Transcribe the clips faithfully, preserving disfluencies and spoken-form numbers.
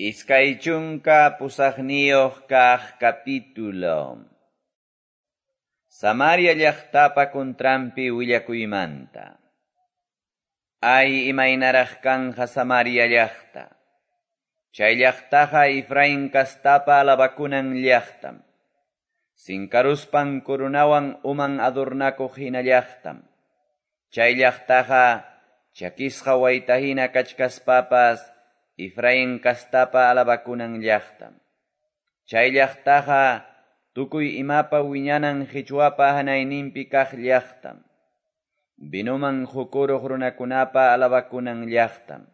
Iskay chunka pusaqniyuq kaq capítulo. Samaria llaqtapa contranpi willakuymanta. Ay, imaynaraq kanja Samaria llaqta. Chay llaqtaqa Efraín kastapa alabakunan llaqtam. Sinkaruspan coronawan uman adornakuq hina llaqtam. Chay llaqtaqa chakisqa wayta hina kachkaspapas Efraín kastapa alabakunan llaqtam. Chay llaqtaqa tukuy imapa wiñanan qichwapa hanayninpi kaq llaqtam. Vinoman qukuruq runakunapa alabakunan llaqtam.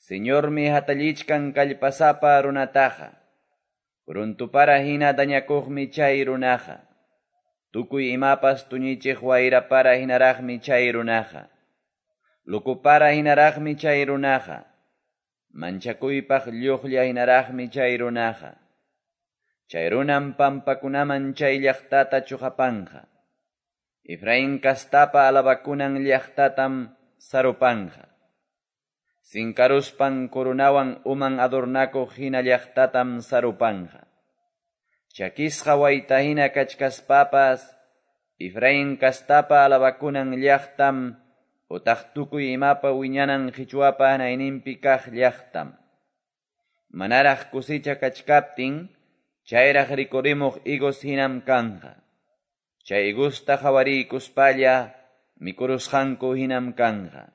Señormi hatallichkan kallpasapa runataqa. Runtupara hina dañakuqmi chay runaqa. Tukuy imapas tuñichiq wayrapara hinaraqmi chay runaqa. Lukupara hinaraqmi chay runaqa. Manchakuypaq lluqlla hinaraqmi chay runaqa. Chay runam pampakunaman chay llaqtata chuqapanqa. Efraín kastapa alabakunan llaqtatam sarupanja. Sinkaruspan coronawan uman adornakuq hina llaqtatam sarupanja. Chakisqa wayta hina kachkaspapas, Efraín kastapa alabakunan llaqtam, utaq tukuy imapa wiñanan qichwapa hanayninpi kaq llaqtam. Manaraq kusicha kachkaptin, chayraq rikurimuq higos hinam kanja. Chay higusta qawariykuspalla, mikurusqanku hinam kanja.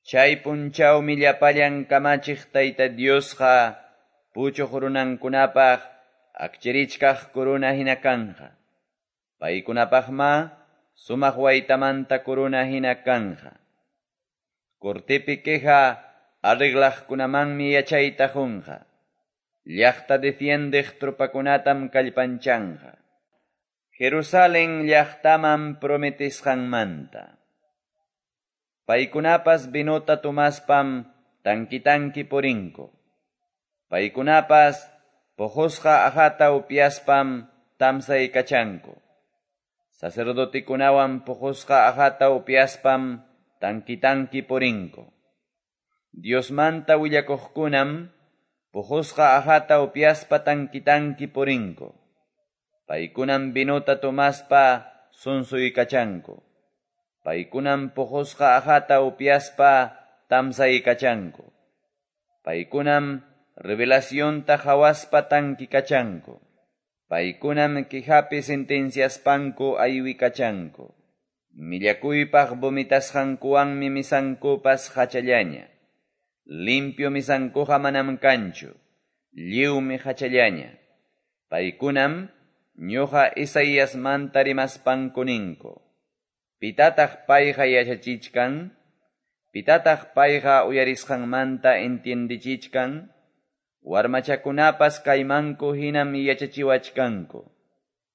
Chay punchawmi llapallan kamachiq Tayta Diosqa puchuq runankunapaq akchirichkaq corona hina kanja. Paykunapaqma sumaq waytamanta corona hina kanja. Cortepi queja arreglaqkunamanmi yachayta qunqa. Llaqta defiendeq tropakunatam kallpanchanja. Jerusalén llaqtaman prometisqanmanta. Paykunapas vinota tomaspam tanki-tanki purinku. Paykunapas puqusqa aqhata upyaspam tamsaykachanku. Sacerdotikunawan puqusqa aqhata upyaspam tanki-tanki purinku. Diosmanta willakuqkunam puqusqa aqhata upyaspa tanki-tanki purinku. Paykunam vinota tomaspa sunsuykachanku. Paykunam puqusqa aqhata upyaspa tamsaykachanku. Paykunam revelacionta qhawaspa tankikachanku. Paykunam quejapi sentenciaspanku aywikachanku. Millakuypaq vomitasqankuwanmi misankupas hachallaña. Limpio misankuqa manam kanchu. Lliwmi hachallaña. Paykunam ñuqa Isaíasmanta rimaspanku ninku. Pitataq payqa yachachichkan? Pitataq payqa uyarisqanmanta entiendichichkan? Warmachakunapas kaymanku hinam yachachiwachkanku.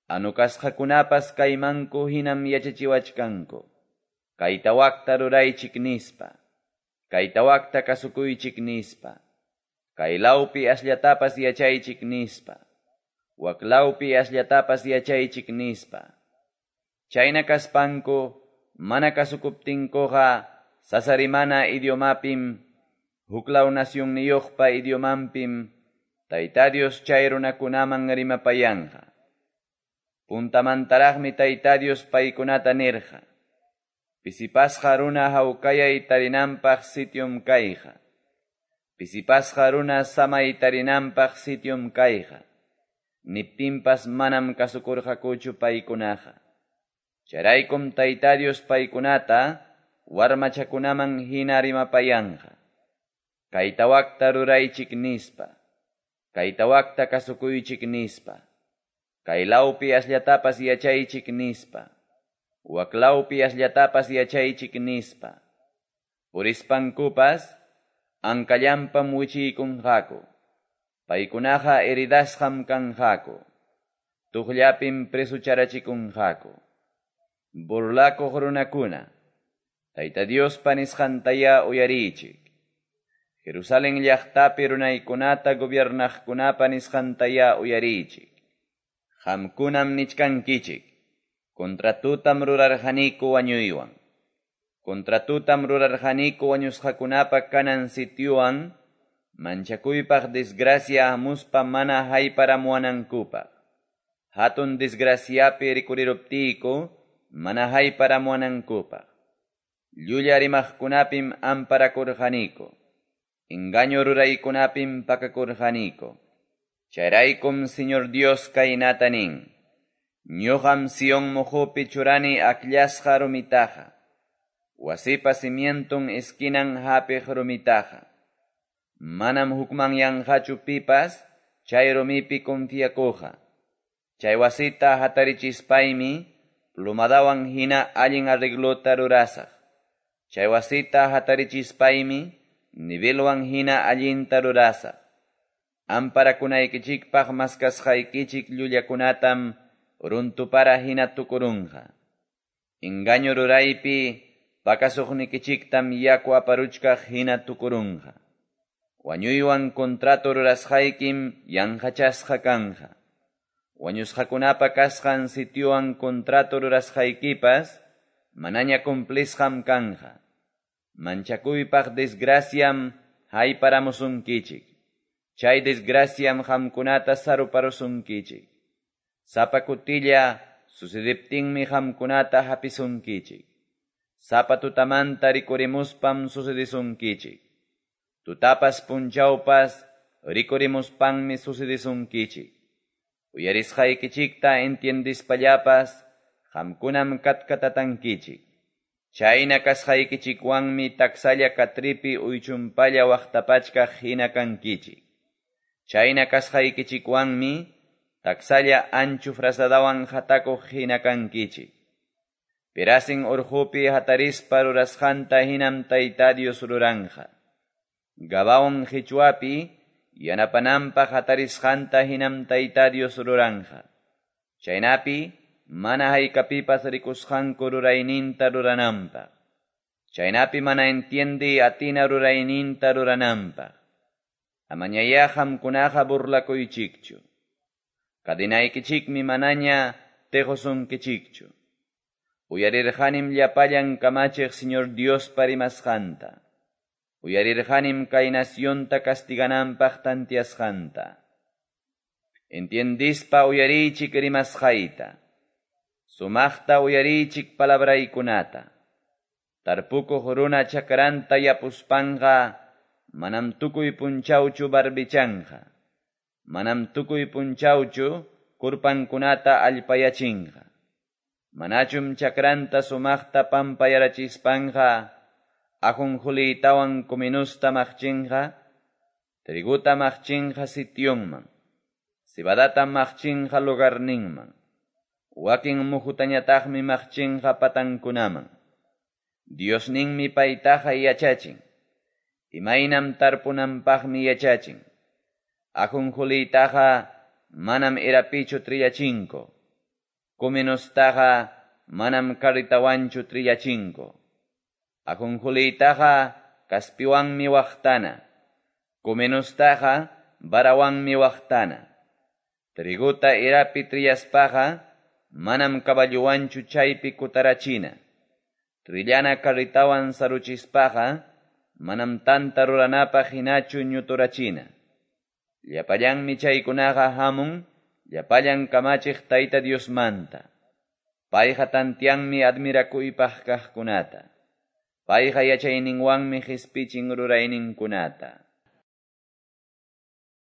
Anukasqakunapas kaymanku hinam yachachiwachkanku. Kayta wakta ruraychik nispa. Kayta wakta kasukuychik nispa. Kaylawpi asllatapas yachaychik nispa. Waklawpi asllatapas yachaychik nispa. Chayna kaspanku, mana kasukuptinkuqa, sasarimana idiomapim, huklaw nasyunniyuqpa idiomanpim, Tayta Dios chay runakunaman rimapayanja. Puntamantaraqmi Tayta Dios paykunata nirqa. Pisipasqa runa hawkayay tarinanpaq sitium kayqa. Pisipasqa runa samay tarinanpaq sitium kayqa. Niptinpas manam kasukurqakuchu paykunaqa. Chayraykum Tayta Dios paykunata warmachakunaman hina rimapayanja. Kayta wakta ruraychik nispa. Kayta wakta kasukuychik nispa. Kaylawpi asllatapas yachaychik nispa. Waklawpi asllatapas yachaychik nispa. Purispankupas ankallampam wichiykunqaku. Paykunaqa heridasqam kanqaku. Tuqllapim presucharachikunqaku. Burlakuq runakuna, Tayta Diospa nisqantaya uyariychik. Jerusalén llaqtapi runaykunata gobiernaqkunapa nisqantaya uyariychik. Qamkunam nichkankichik. Contratutam rurarqaniku wañuywan. Contratutam rurarqaniku wañusqakunapa kanan sitiowan, Manchakuypaq desgracia hamuspa mana hayparamuwanankupaq. Hatun desgraciapi rikuriruptiyku mana hayparamuwanankupaq. Llulla rimaqkunapim amparakurqaniku. Engaño ruraykunapim pakakurqaniku. Chayraykum Señor Dios kaynata nin. Ñuqam Sion moqopi churani akllasqa rumitaqa. Wasipa cimienton esquinan hapiq rumitaqa. Manam hukmanyanqachu pipas chay rumipi confiakuqa. Chay wasita hatarichispaymi plumadawan hina allin arreglota rurasaq. Chay wasita hatarichispaymi nivelwan hina allinta rurasaq. Amparakunaykichikpaq maskasqaykichik llullakunatam runtupara hina tukurunqa. Engaño ruraypi pakasuqnikichiktam yaku aparuchkaq hina tukurunqa. Wañuywan contrato rurasqaykim yanqachasqa kanja. Wañusqakunapa kasqan sitiowan contrato rurasqaykipas manaña cumplisqam kanja. Manchakuypaq desgraciam hayparamusunkichik. Chay desgraciam qamkunata saruparusunkichik. Sapa kutilla sucediptinmi qamkunata hapisunkichik. Sapa tutamanta rikurimuspam sucedisunkichik. Tutapas punchawpas rikurimuspanmi sucedisunkichik. Uyarisqaykichikta entiendispallapas qamkunam katkatatankichik. Chayna kasqaykichikwanmi taksalla katripi uychumpalla waqtapachkaq hina kankichik. Chayna kasqaykichikwanmi taksalla anchu frazadawan hatakuq hina kankichik. Perasin urqupi hatarispa rurasqanta hinam Tayta Dios ruranja. Gabaon qichwapi yanapananpaq hatarisqanta hinam Tayta Dios ruranja. Chaynapi mana haykapipas rikusqanku rurayninta rurananpaq. Chaynapi mana entiende atina rurayninta rurananpaq. Amañayá qamkunaqa burlakuychikchu. Kadinaykichikmi manaña tequsunkichikchu. Uyarirqanim llapallan kamachiq Señor Diospa rimasqanta. Uyarirqanim kay nacionta castigananpaq tantiasqanta. Entiendispa uyariychik rimasqayta. Sumaqta uyariychik palabraykunata. Tarpukuq runa chakranta yapuspanqa manam tukuy punchawchu barbichanqa. Manam tukuy punchawchu kurpankunata allpayachinqa. Manachum chakranta sumaqta pampayarachispanqa ajonjuliytawan kuminusta maqchinqa, triguta maqchinqa sitionman, cebadata maqchinqa lugarninman, wakin muhutañataqmi maqchinqa patankunaman. Diosninmi paytaqa yachachin, imaynam tarpunanpaqmi yachachin. Ajonjuliytaqa manam erapichu trillachinko, kuminustaqa manam karritawanchu trillachinko. Ajonjuliytaqa kaspiwanmi waqtana, kuminustaqa varawanmi waqtana. Triguta erapi trillaspaqa manam caballuwanchu chaypi kutarachina. Trillana karritawan saruchispaqa manam tanta ruranapaq hinachu ñuturachina. Llapallanmi chaykunaqa hamun, llapallan kamachiq Tayta Diosmanta. Payqa tantianmi admirakuypaq kaqkunata. Payqa yachayninwanmi qispichin rurayninkunata.